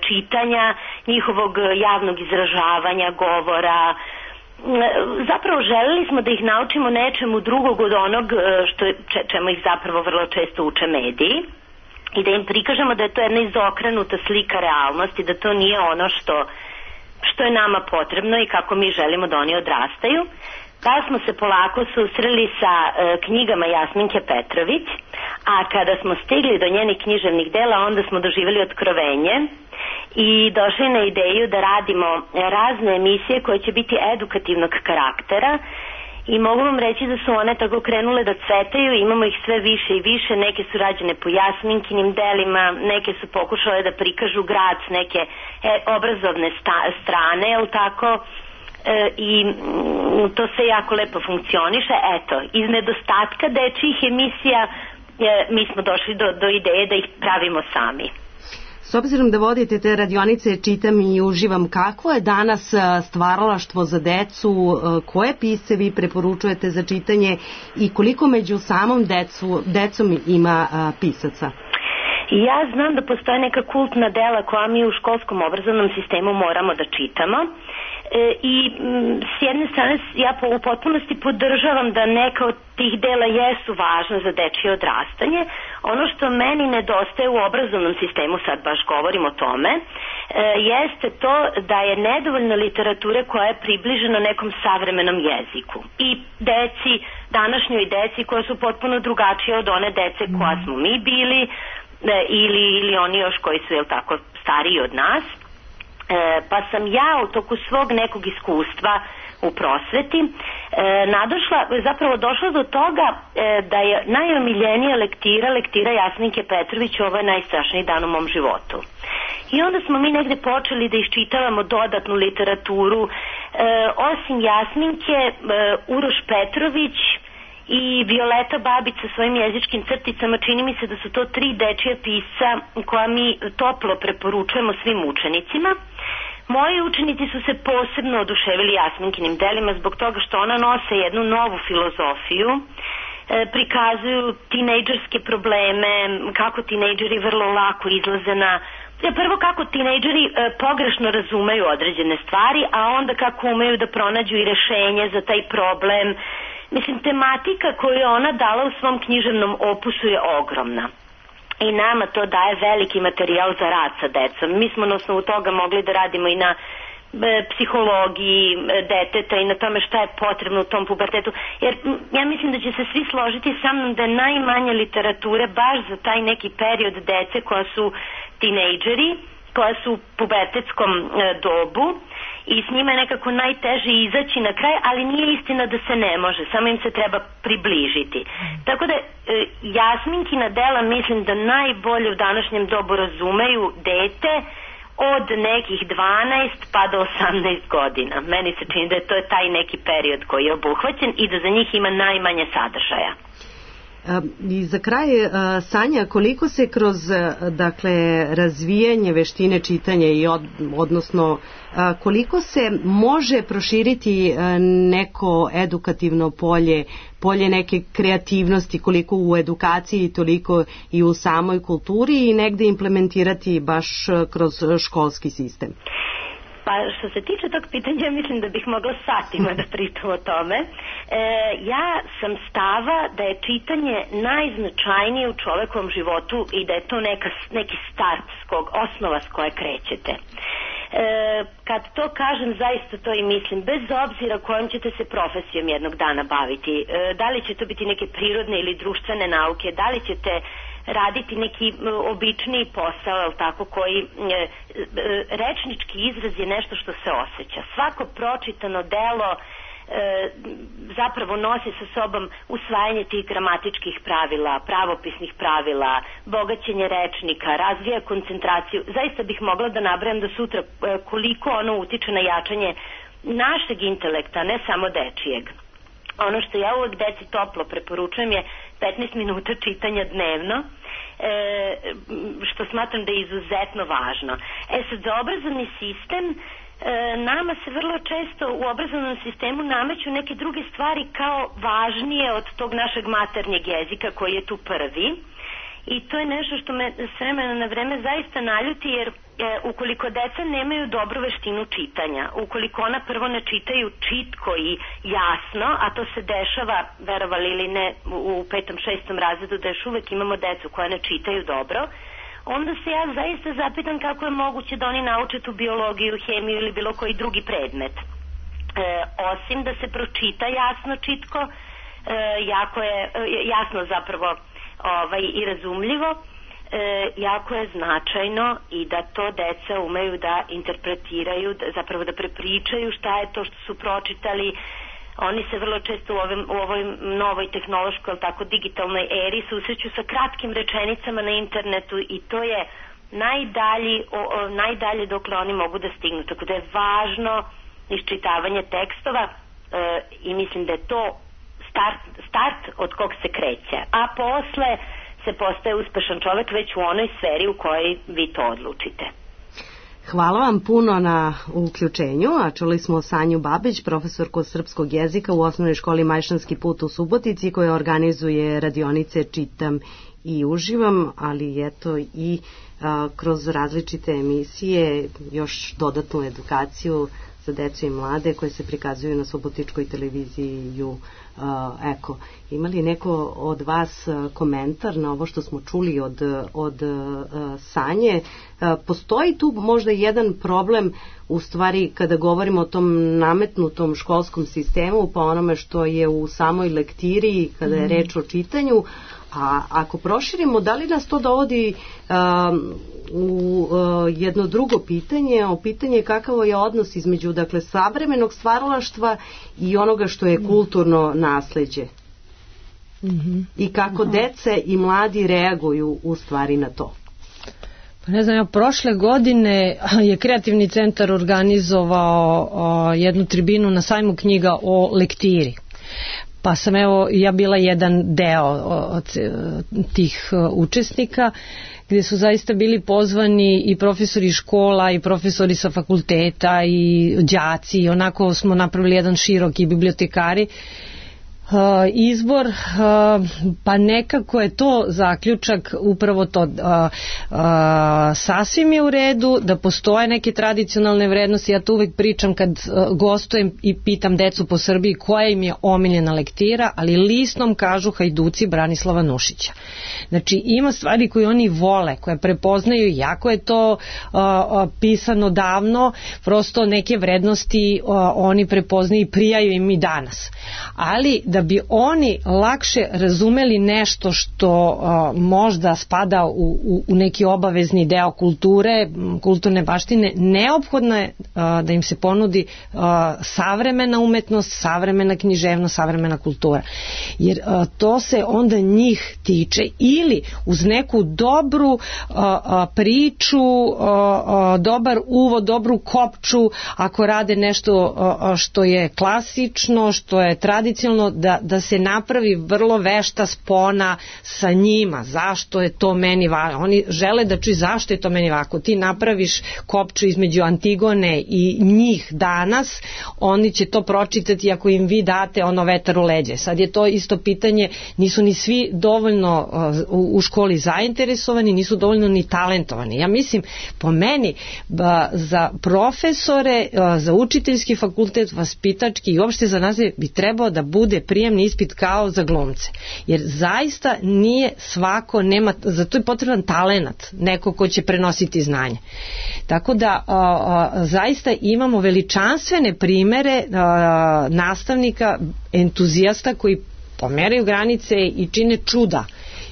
čitanja, njihovog javnog izražavanja, govora. Zapravo želeli smo da ih naučimo nečemu drugog od onog što, čemu ih zapravo vrlo često uče mediji i da im prikažemo da je to jedna izokrenuta slika realnosti, da to nije ono što, što je nama potrebno i kako mi želimo da oni odrastaju. Pa smo se polako susreli sa e, knjigama Jasminke Petrović, a kada smo stigli do njenih književnih dela, onda smo doživjeli otkrovenje i došli na ideju da radimo razne emisije koje će biti edukativnog karaktera i mogu vam reći da su one tako krenule da cvetaju, imamo ih sve više i više, neke su rađene po Jasminkinim delima, neke su pokušale da prikažu grad s neke e, obrazovne sta, strane, jel tako? I to sve jako lepo funkcioniše. Eto, iz nedostatka dečjih emisija mi smo došli do, do ideje da ih pravimo sami. S obzirom da vodite te radionice Čitam i uživam, kakvo je danas stvaralaštvo za decu, koje pisce vi preporučujete za čitanje i koliko među samom decu, decom ima pisaca? Ja znam da postoje neka kultna dela koja mi u školskom obrazovnom sistemu moramo da čitamo. i s jedne strane ja u potpunosti podržavam da neka od tih dela jesu važna za dečije odrastanje. Ono što meni nedostaje u obrazovnom sistemu, sad baš govorim o tome, jeste to da je nedovoljno literature koja je približena nekom savremenom jeziku i deci, današnjoj deci koja su potpuno drugačije od one dece koja smo mi bili ili, ili oni još koji su, jel tako, stariji od nas. E, pa sam ja u toku svog nekog iskustva u prosveti e, nadošla, zapravo došla do toga e, da je najomiljenija lektira, lektira Jasminke Petrović, ovo je najstrašniji dan u mom životu. I onda smo mi negde počeli da iščitavamo dodatnu literaturu, e, osim Jasminke, e, Uroš Petrović i Violeta Babić sa svojim jezičkim crticama, čini mi se da su to tri dečija pisca koja mi toplo preporučujemo svim učenicima. Moji učenici su se posebno oduševili Jasminkinim delima zbog toga što ona nose jednu novu filozofiju, e, prikazuju tinejdžerske probleme, kako tinejdžeri vrlo lako izlaze na... Prvo kako tinejdžeri e, pogrešno razumeju određene stvari, a onda kako umeju da pronađu i rešenje za taj problem. Mislim, tematika koju je ona dala u svom književnom opusu je ogromna. I nama to daje veliki materijal za rad sa decom. Mi smo na osnovu toga mogli da radimo i na e, psihologiji deteta i na tome šta je potrebno u tom pubertetu. Jer ja mislim da će se svi složiti sa mnom da je najmanje literature baš za taj neki period dece koja su tinejdžeri, koja su u pubertetskom e, dobu i s njima je nekako najteže izaći na kraj, ali nije istina da se ne može, samo im se treba približiti. Tako da e, Jasminkina dela mislim da najbolje u današnjem dobu razumeju dete od nekih dvanaest pa do osamnaest godina. Meni se čini da je to je taj neki period koji je obuhvaćen i da za njih ima najmanje sadržaja. I za kraj, Sanja, koliko se kroz, dakle, razvijanje veštine čitanja i od, odnosno koliko se može proširiti neko edukativno polje, polje neke kreativnosti, koliko u edukaciji, toliko i u samoj kulturi i negde implementirati baš kroz školski sistem? Pa što se tiče tog pitanja, mislim da bih mogla satima da pričam o tome. E, ja sam stava da je čitanje najznačajnije u čovekovom životu i da je to neka, neki start, skog, osnova s koje krećete. E, kad to kažem, zaista to i mislim, bez obzira kojom ćete se profesijom jednog dana baviti. E, da li će to biti neke prirodne ili društvene nauke, da li ćete raditi neki običniji posao, tako, koji e, e, rečnički izraz je nešto što se osjeća. Svako pročitano delo e, zapravo nosi sa sobom usvajanje tih gramatičkih pravila, pravopisnih pravila, bogaćenje rečnika, razvija koncentraciju. Zaista bih mogla da nabrajam do sutra e, koliko ono utiče na jačanje našeg intelekta, ne samo dečijeg. Ono što ja uvek deci toplo preporučujem je petnaest minuta čitanja dnevno, e, što smatram da je izuzetno važno. E sad, za obrazovni sistem, e, nama se vrlo često u obrazovnom sistemu nameću neke druge stvari kao važnije od tog našeg maternjeg jezika koji je tu prvi. I to je nešto što me s vremena na vreme zaista naljuti, jer e, ukoliko deca nemaju dobru veštinu čitanja, ukoliko ona prvo ne čitaju čitko i jasno, a to se dešava, verovali ili ne, u petom, šestom razredu, da još uvek imamo decu koja ne čitaju dobro, onda se ja zaista zapitam kako je moguće da oni nauče tu biologiju, hemiju ili bilo koji drugi predmet. E, osim da se pročita jasno čitko, e, jako je, e, jasno zapravo ovaj, i razumljivo, e, jako je značajno i da to deca umeju da interpretiraju, da, zapravo da prepričaju šta je to što su pročitali. Oni se vrlo često u, ovim, u ovoj novoj tehnološkoj, ali tako digitalnoj eri susreću sa kratkim rečenicama na internetu i to je najdalji, o, o, najdalje dokle oni mogu da stignu. Tako da je važno iščitavanje tekstova e, i mislim da je to Start, start od kog se kreće, a posle se postaje uspešan čovek već u onoj sferi u kojoj vi to odlučite. Hvala vam puno na uključenju, a čuli smo Sanju Babić, profesorku srpskog jezika u osnovnoj školi Majšanski put u Subotici, koja organizuje radionice Čitam i uživam, ali eto i a, kroz različite emisije još dodatnu edukaciju za decu i mlade koje se prikazuju na subotičkoj televiziji ju Eko. Ima li neko od vas komentar na ovo što smo čuli od, od Sanje? Postoji tu možda jedan problem u stvari kada govorimo o tom nametnutom školskom sistemu, pa onome što je u samoj lektiri kada je reč o čitanju, a ako proširimo, da li nas to dovodi um, u uh, jedno drugo pitanje, o pitanje kakavo je odnos između dakle savremenog stvaralaštva i onoga što je kulturno nasleđe? Mm-hmm. I kako dece i mladi reaguju u stvari na to? Pa ne znam, ja, prošle godine je Kreativni centar organizovao o, jednu tribinu na sajmu knjiga o lektiri. Pa sam evo ja bila jedan deo od tih učesnika gdje su zaista bili pozvani i profesori škola i profesori sa fakulteta i đaci, onako smo napravili jedan široki bibliotekari Uh, izbor, uh, pa nekako je to zaključak upravo to, uh, uh, sasvim je u redu da postoje neke tradicionalne vrednosti. Ja to uvek pričam kad uh, gostujem i pitam decu po Srbiji koja im je omiljena lektira, ali listom kažu Hajduci Branislava Nušića. Znači ima stvari koje oni vole, koje prepoznaju, jako je to uh, uh, pisano davno, prosto neke vrednosti uh, oni prepoznaju i prijaju im i danas, ali da bi oni lakše razumeli nešto što uh, možda spada u, u, u neki obavezni deo kulture, kulturne baštine, neophodno je uh, da im se ponudi uh, savremena umetnost, savremena književnost, savremena kultura. Jer uh, to se onda njih tiče, ili uz neku dobru uh, uh, priču, uh, uh, dobar uvod, dobru kopču, ako rade nešto uh, što je klasično, što je tradicionalno, da, da se napravi vrlo vešta spona sa njima, zašto je to meni važno. Oni žele da čuju zašto je to meni važno. Ti napraviš kopču između Antigone i njih danas, oni će to pročitati ako im vi date ono vetar u leđe. Sad je to isto pitanje, nisu ni svi dovoljno uh, u školi zainteresovani, nisu dovoljno ni talentovani. Ja mislim, po meni, ba, za profesore, uh, za učiteljski fakultet, vaspitački i uopšte za nas bi trebao da bude prijemni ispit kao za glumce. Jer zaista nije svako, nema, za to je potreban talenat, neko ko će prenositi znanje. Tako da a, a, zaista imamo veličanstvene primere a, nastavnika, entuzijasta koji pomeraju granice i čine čuda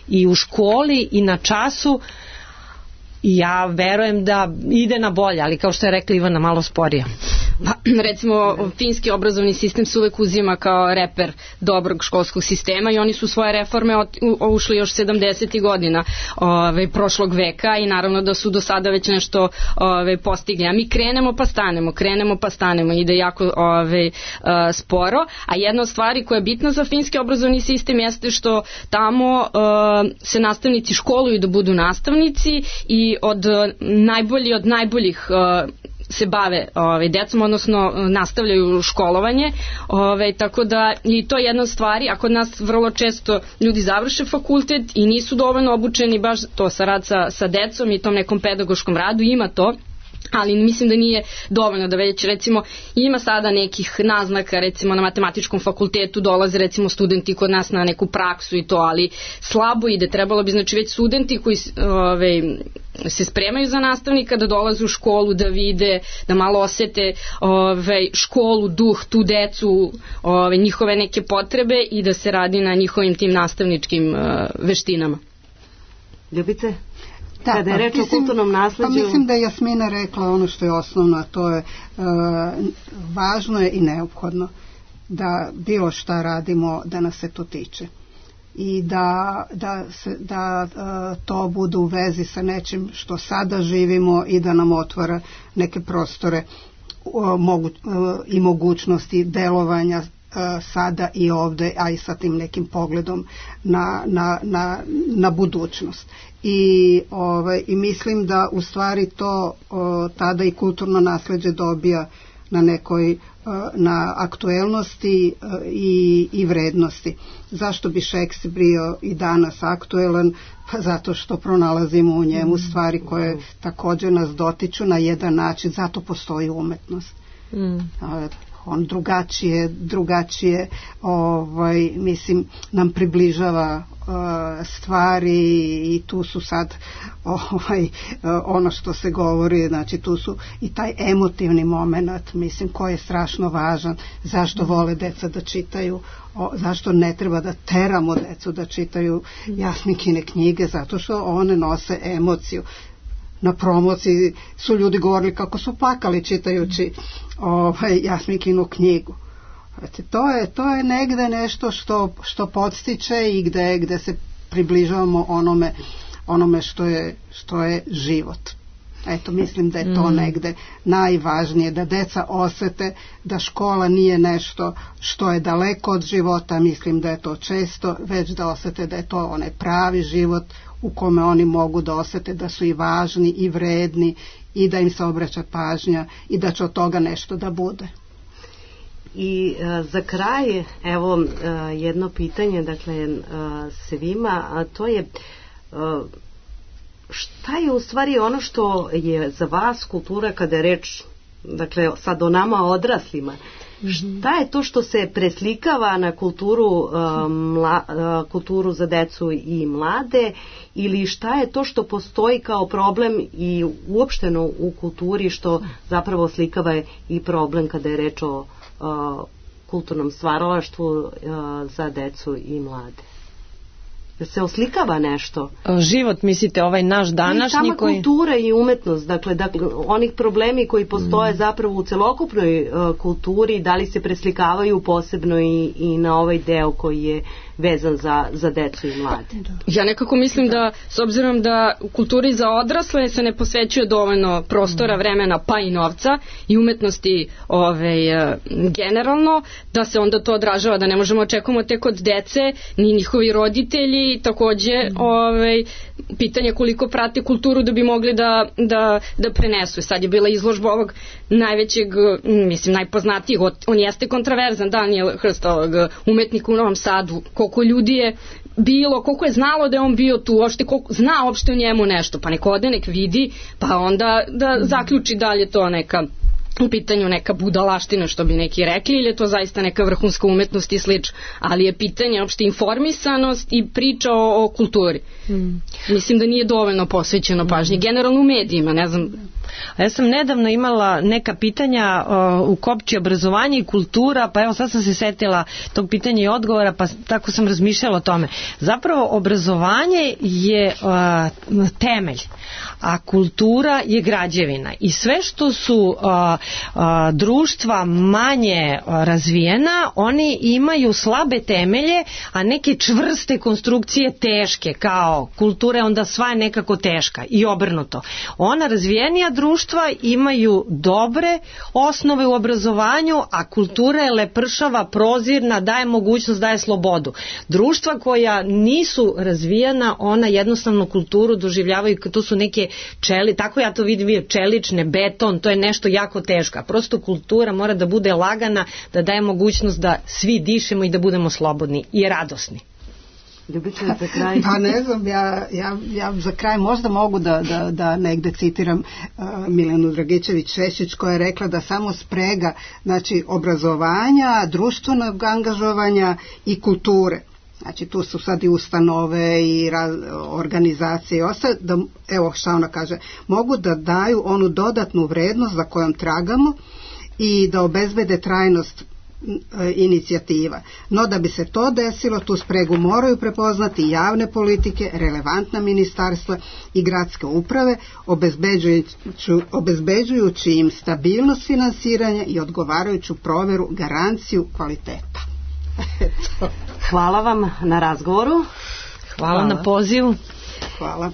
i u školi i na času. I ja verujem da ide na bolje, ali kao što je rekla Ivana, malo sporije. Pa, recimo, finski obrazovni sistem se uvek uzima kao reper dobrog školskog sistema i oni su svoje reforme ušli još sedamdesetih godina ove, prošlog veka i naravno da su do sada već nešto ove, postigli. A mi krenemo pa stanemo, krenemo pa stanemo, ide jako ove, a, sporo. A jedna od stvari koja je bitna za finski obrazovni sistem jeste što tamo a, se nastavnici školuju da budu nastavnici i od najbolji od najboljih a, se bave ovaj, decom, odnosno nastavljaju školovanje, ovaj, tako da i to je jedna od stvari, a kod nas vrlo često ljudi završe fakultet i nisu dovoljno obučeni baš to sa rad sa, sa decom i tom nekom pedagoškom radu, ima to, ali mislim da nije dovoljno, da već recimo ima sada nekih naznaka, recimo na matematičkom fakultetu dolaze recimo studenti kod nas na neku praksu i to, ali slabo ide, trebalo bi znači već studenti koji ove, se spremaju za nastavnika da dolaze u školu, da vide, da malo osete ove, školu, duh, tu decu, ove, njihove neke potrebe i da se radi na njihovim tim nastavničkim ove, veštinama. Ljubice? Da, kada je reč o kulturnom nasleđu... Pa mislim da je Jasmina rekla ono što je osnovno, a to je e, važno je i neophodno da bilo šta radimo da nas se to tiče i da, da, se, da e, to bude u vezi sa nečim što sada živimo i da nam otvara neke prostore e, mogu, e, i mogućnosti delovanja sada i ovde, a i sa tim nekim pogledom na, na, na, na budućnost. I, ovaj, i mislim da u stvari to o, tada i kulturno nasleđe dobija na nekoj o, na aktuelnosti o, i, i vrednosti. Zašto bi Šekspir bio i danas aktuelan? Pa zato što pronalazimo u njemu stvari koje također nas dotiču na jedan način, zato postoji umetnost. Mm. On drugačije, drugačije ovaj, mislim, nam približava uh, stvari i tu su sad ovaj, uh, ono što se govori, znači tu su i taj emotivni moment, mislim, koji je strašno važan, zašto vole deca da čitaju, o, zašto ne treba da teramo decu da čitaju Jasminkine knjige, zato što one nose emociju. Na promociji su ljudi govorili kako su plakali čitajući ovaj, Jasminkinu knjigu. Znači, to je, to je negde nešto što, što podstiče i gde, gde se približavamo onome, onome što je, što je život. Eto, mislim da je to negde najvažnije, da deca osete da škola nije nešto što je daleko od života, mislim da je to često, već da osete da je to onaj pravi život u kome oni mogu da osete da su i važni i vredni i da im se obraća pažnja i da će od toga nešto da bude. I a, za kraj, evo a, jedno pitanje, dakle, a, svima, a to je a, šta je u stvari ono što je za vas kultura kada je reč, dakle, sad o nama odraslima, šta je to što se preslikava na kulturu, mla, kulturu za decu i mlade, ili šta je to što postoji kao problem i uopšteno u kulturi što zapravo slikava i problem kada je reč o kulturnom stvaralaštvu za decu i mlade? Da se oslikava nešto? Život, mislite, ovaj naš današnji? I sama koji... kultura i umetnost, dakle, dakle onih problemi koji postoje mm. zapravo u celokupnoj uh, kulturi, da li se preslikavaju posebno i, i na ovaj deo koji je vezan za, za decu i mlade? Ja nekako mislim da, s obzirom da u kulturi za odrasle se ne posvećuje dovoljno prostora, vremena, pa i novca i umetnosti ove, generalno, da se onda to odražava, da ne možemo očekujemo tek od dece, ni njihovi roditelji, takođe ove, pitanje koliko prate kulturu da bi mogli da, da, da prenesu. Sad je bila izložba ovog najvećeg, mislim, najpoznatijih, on jeste kontraverzan, Daniel Hrst, ovog umetnika u Novom Sadu, koliko ljudi je bilo, koliko je znalo da je on bio tu, uopšte, koliko zna uopšte o njemu nešto, pa nek ode, nek vidi, pa onda da zaključi da li je to neka u pitanju neka budalaština, što bi neki rekli, ili je to zaista neka vrhunska umetnost i slično, ali je pitanje uopšte informisanost i priča o, o kulturi. Mm. Mislim da nije dovoljno posvećeno pažnje, generalno u medijima, ne znam. Ja sam nedavno imala neka pitanja uh, u Kopči obrazovanje i kultura, pa evo sad sam se setila tog pitanja i odgovora, pa tako sam razmišljala o tome. Zapravo obrazovanje je uh, temelj, a kultura je građevina i sve što su uh, uh, društva manje uh, razvijena, oni imaju slabe temelje, a neke čvrste konstrukcije teške, kao kultura je onda sva je nekako teška i obrnuto. Ona razvijenija društva imaju dobre osnove u obrazovanju, a kultura je lepršava, prozirna, daje mogućnost, daje slobodu. Društva koja nisu razvijena, ona jednostavno kulturu doživljavaju, to su neke čeli, tako ja to vidim, čelične, beton, to je nešto jako teško. A prosto kultura mora da bude lagana, da daje mogućnost da svi dišemo i da budemo slobodni i radosni. Ljubice, za kraj. Pa ne znam, ja, ja, ja za kraj možda mogu da, da, da negde citiram uh, Milenu Dragičević-Šešić koja je rekla da samo sprega, znači, obrazovanja, društvenog angažovanja i kulture. Znači tu su sad i ustanove i raz, organizacije i ostale, da, evo šta ona kaže, mogu da daju onu dodatnu vrednost za kojom tragamo i da obezbede trajnost inicijativa. No da bi se to desilo, tu spregu moraju prepoznati javne politike, relevantna ministarstva i gradske uprave, obezbeđujući, obezbeđujući im stabilnost finansiranja i odgovarajuću proveru, garanciju kvaliteta. Hvala vam na razgovoru. Hvala, Hvala. na pozivu. Hvala.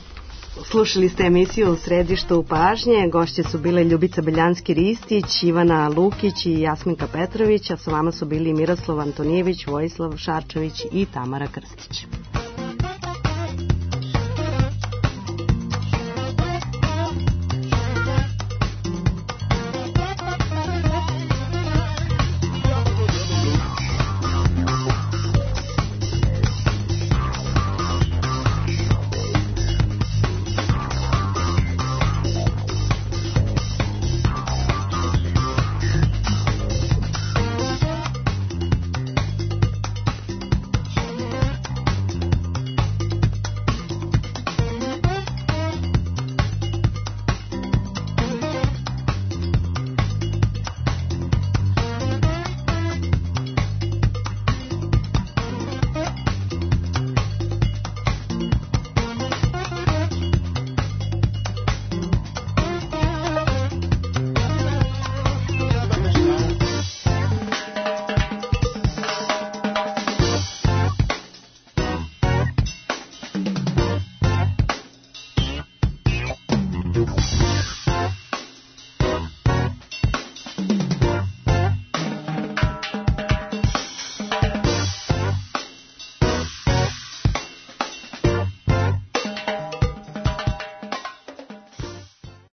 Slušali ste emisiju Središtu pažnje. Gošće su bile Ljubica Beljanski-Ristić, Ivana Lukić i Jasminka Petrović, a sa vama su bili Miroslav Antonijević, Vojislav Šarčević i Tamara Krstić.